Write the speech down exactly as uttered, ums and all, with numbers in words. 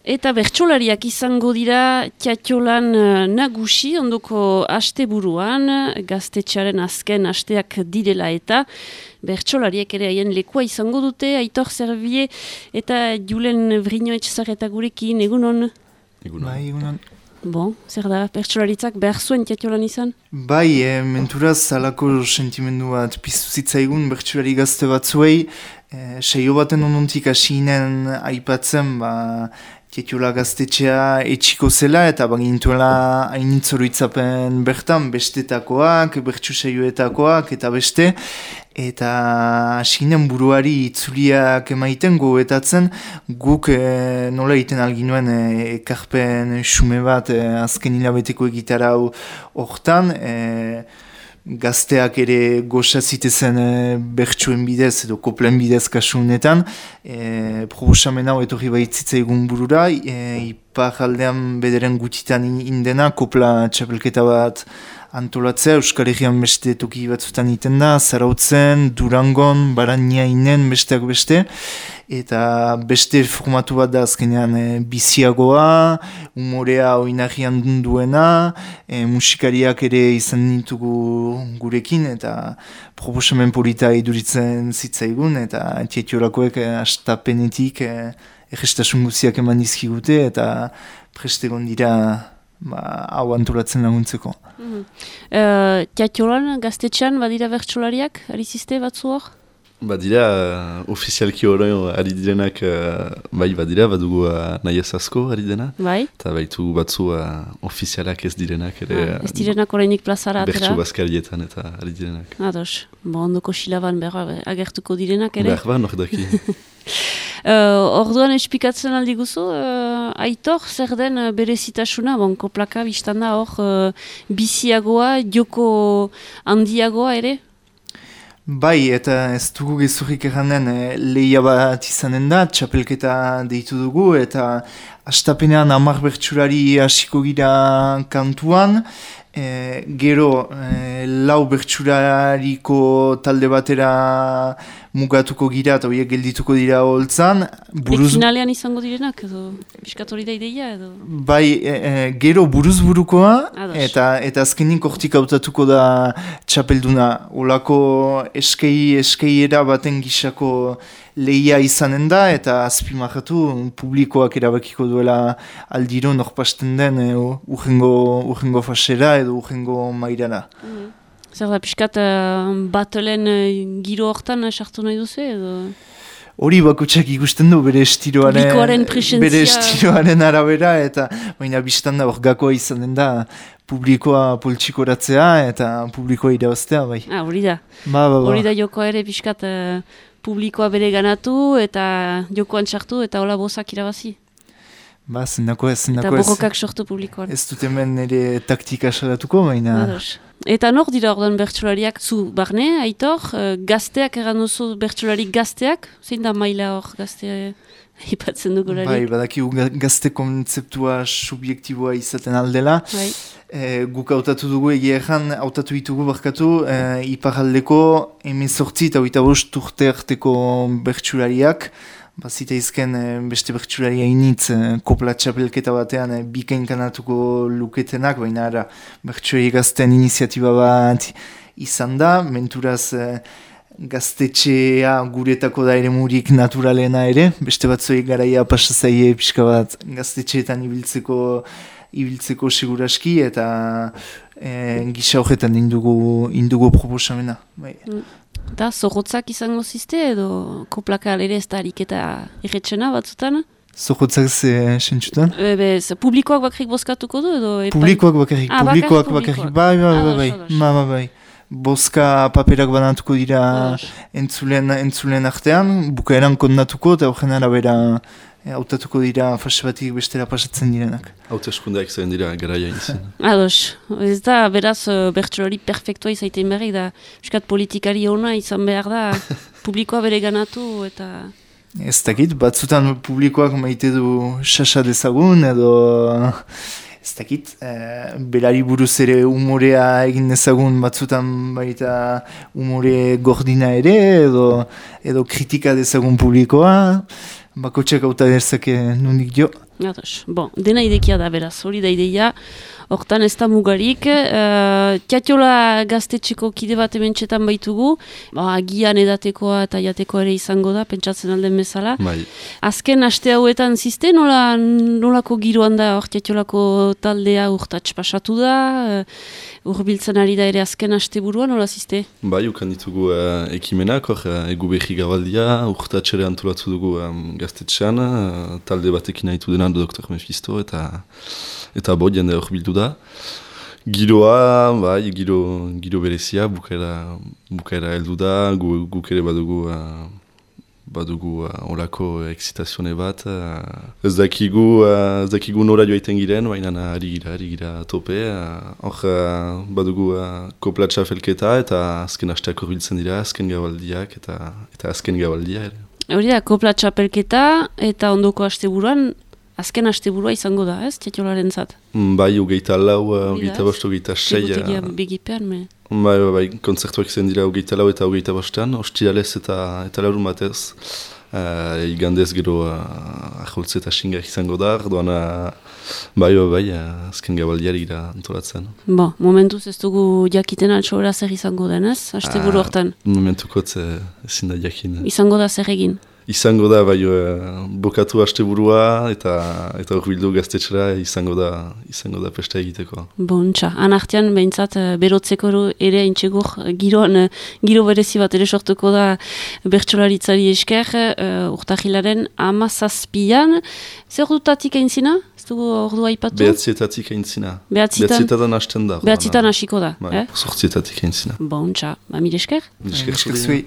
Eta bertsolariak izango dira Tiatiolan nagusi, ondoko asteburuan, gaztetxearen azken asteak direla eta bertsolariek ere haien lekua izango dute, Aitor Zerbie eta Julen Vrino-Etxezarreta gurekin, egunon? Egunon. Bai, egunon. Bon, zer da, bertsolaritzak behar zuen Tiatiolan izan? Bai, e, menturaz alako sentimendu bat piztu zitzaigun bertsolari gazte batzuei, e, seio baten onontik hasinen aipatzen, ba, Tiatiola gaztetxea etxiko zela eta bagintuela hainitzoruitzapen bertan bestetakoak, bertsu seioetakoak eta beste, eta hasinen buruari itzuliak emaiten goetatzen guk e, nola egiten alginuen e, ekarpen xume bat e, azken hilabeteko egitarau hortan, e, gazteak ere goza zitezen e, bertsuen bidez edo koplen bidez kasu honetan, e, proposamen hau etorri baitzitza egun burura, e, ipar aldean bederen gutitan indena, kopla txapelketa bat antolatzea, Euskal Herrian beste toki batzutan iten da, Zarautzen, Durangon, Baraniainen, besteak beste, eta beste formatu bat da azkenean e, biziagoa, umorea oinarrian duena, e, musikariak ere izan ditugu gurekin, eta proposamen polita iduritzen zitzaigun, eta Tiatiolakoek e, astapenetik e, egestasun guziak eman dizkigute, eta prestegon dira ba, hau antolatzen laguntzeko. Mm-hmm. uh, Tiatiolan, gaztetxean, badira bertsolariak, ari ziste batzu hor? Badira, uh, ofizialki hori ari direnak, uh, bai badira, badugu uh, nahiaz asko ari dena. Bai. Eta baitu batzu uh, ofizialak ez direnak. Ere, ah, ez direnak orainik plazara atera? Bertsu bazkarietan eta ari direnak. Ados, bo ondoko silaban berra agertuko direnak ere? Berba, nok daki. Uh, orduan espikatzen aldi guzu, uh, Aitor, zer den uh, berezitasuna, bon, koplaka biztan da hor, uh, biziagoa, joko handiagoa ere? Bai, eta ez dugu gezurrik erranden e, lehia bat izanen da, txapelketa deitu dugu, eta astapenean hamar bertsulari hasiko gira kantuan, e, gero e, lau bertsulariko talde batera mugatuko gira eta horiek geldituko dira holtzan. Buruz... Finalean izango direnak edo piskatori da ideia edo? Bai, e, e, gero buruz burukoa eta, eta azkenik hortik hautatuko da txapelduna. Olako eskei, eskeiera baten gisako lehia izanen da eta azpimarratu publikoak erabakiko duela aldiro norpasten den e, urrengo, urrengo fasera edo urrengo mairana. Mm. Zer da, piskat uh, batelen uh, giro hortan sartu nahi duzu edo? Hori bakutsak ikusten du bere estiloaren, bere estiloaren arabera eta baina biztan da hor gakoa izanen da publikoa poltsikoratzea eta publikoa irabaztea bai. Ah, hori da. Ba, ba, ba. Hori da jokoa ere piskat uh, publikoa bere ganatu eta jokoan sartu eta hola bozak irabazi. Ba, zendako ez, zendako ez. Eta borrokak sortu publikoan. Ez dut hemen ere taktika salatuko, baina... Ados. Eta nor dira ordan bertsolariak zu barne, Aitor, uh, gazteak eran oso bertsolari gazteak, zein da maila hor gaztea ipatzen dugularik? Bai, badakigu gazte kontzeptua subjektiboa izaten aldela. Bai. E, guk hautatu dugu egia erran, hautatu ditugu barkatu, e, iparaldeko emezortzi eta oita bost urte arteko bertsolariak, bazita izken beste bertsularia initz kopla txapelketa batean e, bikain kanatuko luketenak, baina ara bertsulari gazten iniziatiba bat izan da, menturaz e, gaztetxea guretako da ere murik naturalena ere, beste batzuei garaia pasazaie pixka bat gaztetxeetan ibiltzeko ibiltzeko seguraski eta e, gisa horretan indugu, indugu proposamena. Bai. Mm. Eta zorrotzak izango zizte edo koplaka ere ez da ariketa erretxena batzutan? Zorrotzak ze sentzutan? E, bez, publikoak bakarrik bozkatuko du edo? Epan... Publikoak bakarrik, ah, publikoak bakarrik, bai, bai, bai, bai, bai, bai, bai. Bozka paperak banatuko dira entzulen, entzulen artean, bukaeran kondatuko eta horren arabera hautatuko dira fase batik bestera pasatzen direnak. Haute eskundeak zain dira garaia izan. Ados, ez da beraz bertsolari perfektua izaiten berrik da, eskat politikari ona izan behar da, publikoa bere ganatu eta... Ez dakit, batzutan publikoak maite du xaxa dezagun edo... Ez dakit, e, berari buruz ere umorea egin dezagun batzutan baita umore gordina ere edo, edo kritika dezagun publikoa. Bakotxak auta derzake nundik jo. Ados. Bon, dena idekia da beraz, hori da ideia, hortan ez da mugarik. Uh, Tiatiola gaztetxeko kide bat ementxetan baitugu, ba, agian edatekoa eta jatekoa ere izango da, pentsatzen alden bezala. Bai. Azken aste hauetan ziste, nola, nolako giroan da hor Tiatiolako taldea urtats pasatu da, uh, urbiltzen ari da ere azken aste buruan, nola ziste? Bai, ukan ditugu uh, ekimenak, hor, uh, egu behi gabaldia, urtats ere antolatu dugu um, gaztetxean, uh, talde batekin nahitu dena doktor Mephisto, eta eta bo, jende hor bildu da. Giroa, bai, giro, giro berezia, bukaera, bukaera heldu da, gu, guk ere badugu, uh, badugu uh, olako excitazione bat. Uh, ez dakigu, uh, ez dakigu nora joaiten giren, baina ari gira, ari gira tope. Hor uh, uh, badugu uh, koplatxa felketa, eta azken hasteak horbiltzen dira, azken gabaldiak, eta, eta azken gabaldia ere. Hori da, kopla txapelketa eta ondoko asteburuan, azken asteburua izango da, ez, Tiatiolaren zat? Bai, hogeita lau, hogeita bost, hogeita sei. Trigutegia begipean, me? Bai, bai, bai, kontzertuak zen dira hogeita lau eta hogeita bostean, ostiralez eta, eta laurun batez. Uh, igandez gero uh, aholtze eta xingak izango da, orduan uh, bai, bai, bai, uh, azken gabaldiari gira antolatzen. Bo, momentuz ez dugu jakiten altxora zer izango denez, asteburu hortan? Uh, momentukot uh, ezin da jakin. Izango da zer egin? Izango da, bai, uh, bokatu asteburua eta eta horbildu gaztetxera izango da izango da pesta egiteko. Bontxa, anartian behintzat berotzeko ere haintxegur giroan, giro berezi bat ere sortuko da bertsolaritzari esker, uh, urtahilaren amazazpian. Zer dutatik aintzina? Ez dugu ordua aipatu? Behatzietatik aintzina. Behatzietan? Behatzietan hasten da. Behatzietan hasiko da. Bai, eh? Sortzietatik aintzina. Bontxa, ba, mire esker? Mire esker zui.